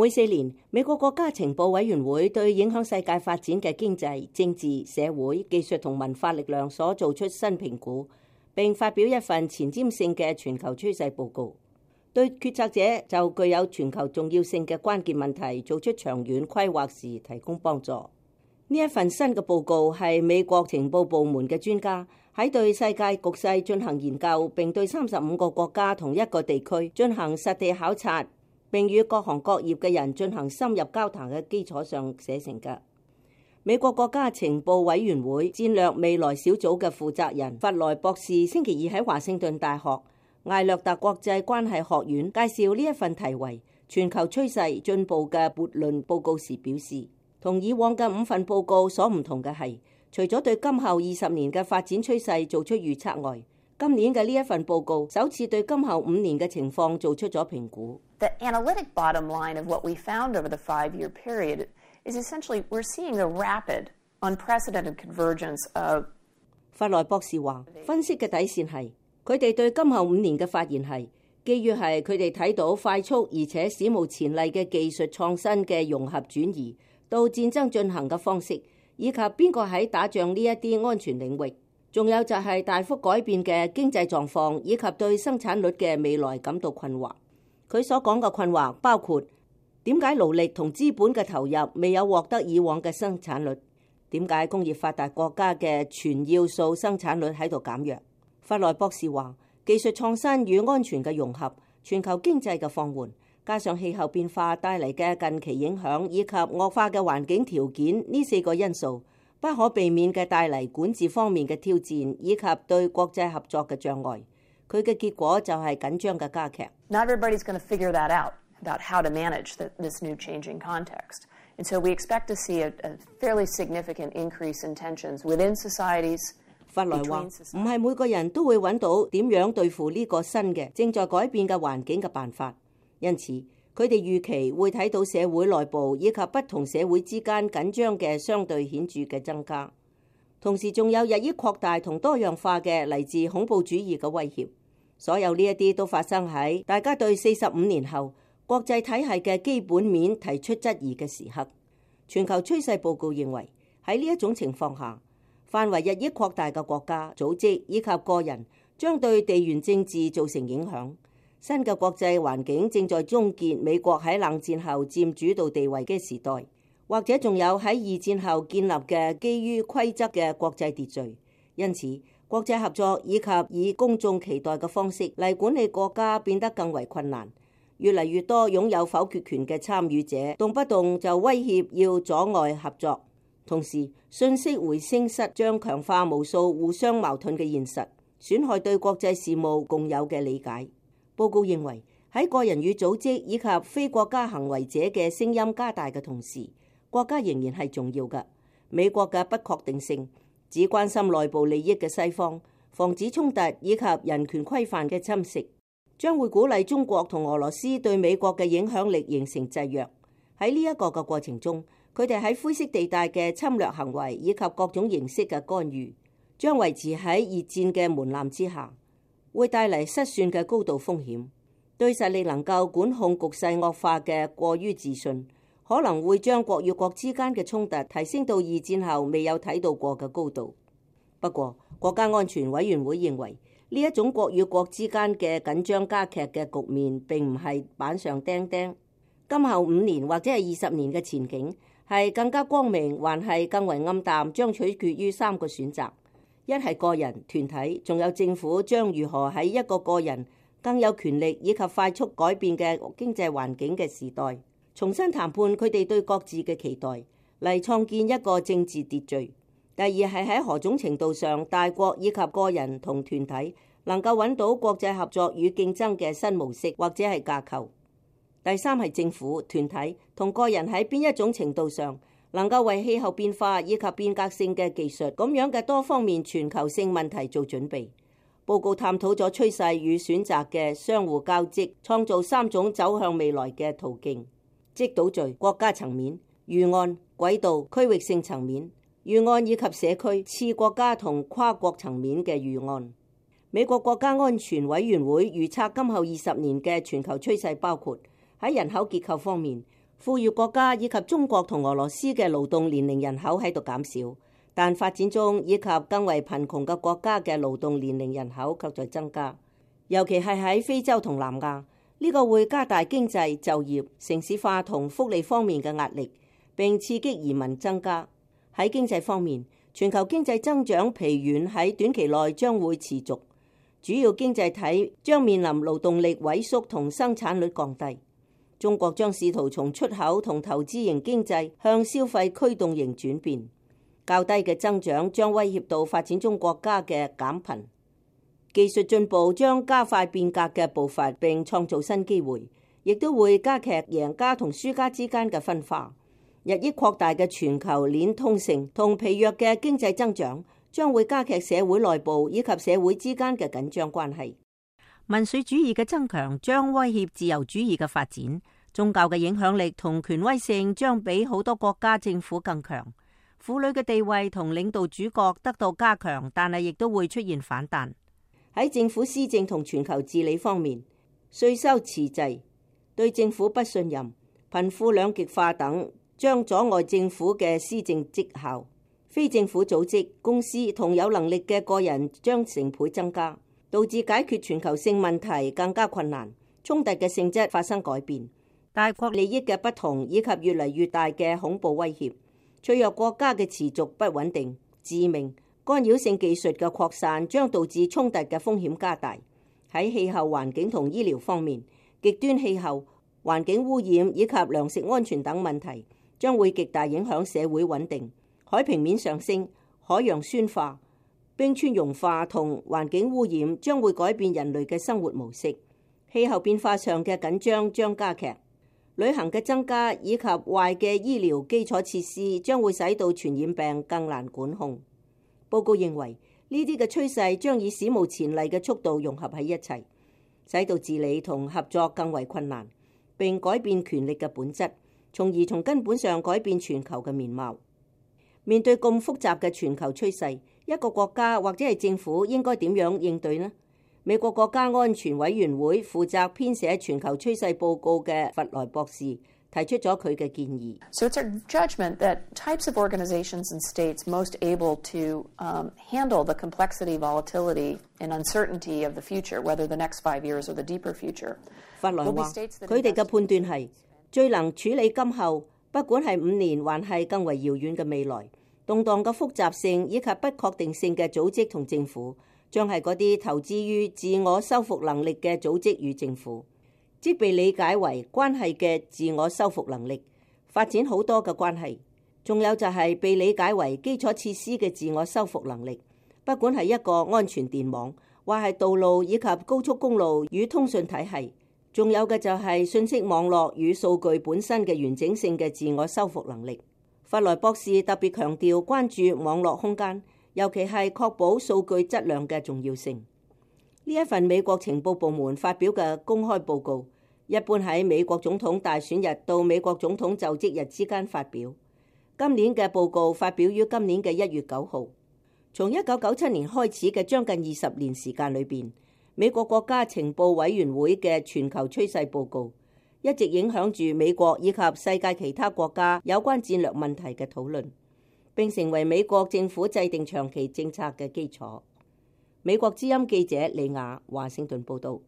每4年，美國國家情報委員會對影響世界發展嘅經濟、政治、社會、技術同文化力量所做出新評估，並發表一份前瞻性嘅全球趨勢報告，對決策者就具有全球重要性嘅關鍵問題做出長遠規劃時提供幫助。呢一份新嘅報告係美國情報部門嘅專家喺對世界局勢進行研究，並對35個國家同一個地區進行實地考察，並與各行各業嘅人進行深入交談嘅基礎上寫成嘅。美國國家情報委員會戰略未來小組嘅負責人弗萊博士星期二喺華盛頓大學艾略特國際關係學院介紹呢一份題為全球趨勢進步嘅悖論報告時表示，同以往嘅5份報告所唔同嘅係，除咗對今後20年嘅發展趨勢做出預測外，今年嘅呢一份報告首次對今後5年嘅情況做出咗評估。The analytic bottom line of what we found over the 5-year period is essentially we're seeing the rapid, unprecedented convergence of。弗萊博士話，分析嘅底線係，佢哋對今後5年嘅發現係，基於係佢哋睇到快速而且史無前例嘅技術創新嘅融合轉移到戰爭進行嘅方式，以及邊個喺打仗呢一啲安全領域。仲有就係大幅改變嘅經濟狀況，以及對生產率嘅未來感到困惑。佢所講嘅困惑包括點解勞力同資本嘅投入未有獲得以往嘅生產率？點解工業發達國家嘅全要素生產率喺度減弱？弗萊博士話，技術創新與安全嘅融合、全球經濟嘅放緩，加上氣候變化帶嚟嘅近期影響，以及惡化嘅環境條件，呢4個因素不可避免嘅帶嚟管治方面嘅挑戰，以及對國際合作嘅障礙。佢嘅結果就係緊張嘅加劇。Not everybody's going to figure that out about how to manage this new changing context. And so we expect to see a fairly significant increase in tensions within societies. 弗萊話，唔係每個人都會揾到點樣對付呢個新嘅正在改變嘅環境嘅辦法，因此佢哋預期會睇到社會內部以及不同社會之間緊張嘅相對顯著嘅增加，同時仲有日益擴大同多樣化嘅嚟自恐怖主義嘅威脅。所有呢一啲都發生喺大家對45年後國際體系嘅基本面提出質疑嘅時刻。全球趨勢報告認為，喺呢一種情況下，範圍日益擴大嘅國家、組織以及個人將對地緣政治造成影響。新嘅國際環境正在終結美國喺冷戰後佔主導地位嘅時代，或者仲有喺二戰後建立嘅基於規則嘅國際秩序。因此，國際合作以及以公眾期待嘅方式嚟管理國家變得更為困難。越嚟越多擁有否決權嘅參與者，動不動就威脅要阻礙合作。同時，信息回聲室將強化無數互相矛盾嘅現實，損害對國際事務共有嘅理解。報告認為，喺個人與組織以及非國家行為者嘅聲音加大嘅同時，國家仍然係重要嘅。美國嘅不確定性，只關心內部利益嘅西方，防止衝突以及人權規範嘅侵蝕，將會鼓勵中國同俄羅斯對美國嘅影響力形成制約。喺呢一個嘅過程中，佢哋喺灰色地帶嘅侵略行為以及各種形式嘅干預，將維持喺熱戰嘅門檻之下，會帶嚟失算嘅高度風險。對實力能夠管控局勢惡化嘅過於自信，可能會將國與國之間嘅衝突提升到二戰後未有睇到過嘅高度。不過，國家安全委員會認為，呢一種國與國之間嘅緊張加劇嘅局面並唔係板上釘釘。今後5年或者係20年嘅前景係更加光明，還係更為暗淡，將取決於3個選擇：一係個人、團體，仲有政府將如何喺一個個人更有權力以及快速改變嘅經濟環境嘅時代，重新談判佢哋對各自嘅期待，嚟創建一個政治秩序。第二係喺何種程度上，大國以及個人同團體能夠揾到國際合作與競爭嘅新模式或者係架構。第三係政府、團體同個人喺邊一種程度上能夠為氣候變化以及變革性嘅技術咁樣嘅多方面全球性問題做準備。報告探討咗趨勢與選擇嘅相互交織，創造3種走向未來嘅途徑，即島嶼、國家層面、預案、軌道、區域性層面、預案以及社區、次國家同跨國層面嘅預案。美國國家安全委員會預測今後20年嘅全球趨勢包括喺人口結構方面，富裕國家以及中國同俄羅斯嘅勞動年齡人口喺度減少，但發展中以及更為貧窮嘅國家嘅勞動年齡人口卻在增加，尤其係喺非洲同南亞。呢個會加大經濟、就業、城市化同福利方面嘅壓力，並刺激移民增加。喺經濟方面，全球經濟增長疲軟喺短期內將會持續，主要經濟體將面臨勞動力萎縮同生產率降低。中國將試圖從出口同投資型經濟向消費驅動型轉變。較低嘅增長將威脅到發展中國家嘅減貧。技術進步將加快變革嘅步伐，並創造新機會，亦都會加劇贏家同輸家之間嘅分化。日益擴大嘅全球鏈通性同疲弱嘅經濟增長將會加劇社會內部以及社會之間嘅緊張關係。民粹主義嘅增強將威脅自由主義嘅發展。宗教嘅影響力同權威性將比好多國家政府更強。婦女嘅地位同領導主角得到加強，但係亦都會出現反彈。喺政府施政同全球治理方面，稅收遲滯、對政府不信任、貧富兩極化等將阻礙政府嘅施政績效。非政府組織、公司同有能力嘅個人將成倍增加，導致解決全球性問題更加困難。衝突嘅性質發生改變，大國利益嘅不同以及越嚟越大嘅恐怖威脅，脆弱國家嘅持續不穩定、致命干擾性技術嘅擴散將導致衝突嘅風險加大。喺氣候環境同醫療方面，極端氣候、環境污染以及糧食安全等問題將會極大影響社會穩定。海平面上升、海洋酸化、冰川融化同環境污染將會改變人類嘅生活模式。氣候變化上嘅緊張將加劇。旅行嘅增加以及壞嘅醫療基礎設施將會使到傳染病更難管控。報告認為，呢啲嘅趨勢將以史無前例嘅速度融合喺一齊，使到治理同合作更為困難，並改變權力嘅本質，從而從根本上改變全球嘅面貌。面對咁複雜嘅全球趨勢，一個國家或者係政府應該點樣應對呢？美國國家安全委員會負責編寫全球趨勢報告嘅弗萊博士提出咗佢嘅建議。So it's our judgment that types of organizations and states most able to handle the complexity, volatility, and uncertainty of the future, whether the next 5 years or the deeper future. 弗萊話，佢哋嘅判斷係最能處理今後，不管係5年還係更為遙遠嘅未來，動盪嘅複雜性以及不確定性嘅組織同政府，將係嗰啲投資於自我修復能力嘅組織與政府。即被理解為關係嘅自我修復能力，發展好多嘅關係。仲有就係被理解為基礎設施嘅自我修復能力，不管係一個安全電網，或係道路以及高速公路與通訊體系。仲有嘅就係信息網絡與數據本身嘅完整性嘅自我修復能力。弗萊博士特別強調關注網絡空間，尤其係確保數據質量嘅重要性。呢一份美國情報部門發表嘅公開報告，一般喺美國總統大選日到美國總統就職日之間發表。今年嘅報告發表於今年嘅1月9號。從1997年開始嘅將近20年時間裏邊，美國國家情報委員會嘅全球趨勢報告一直影響住美國以及世界其他國家有關戰略問題嘅討論，並成為美國政府制定長期政策嘅基礎。美國之音記者李雅華盛頓報道。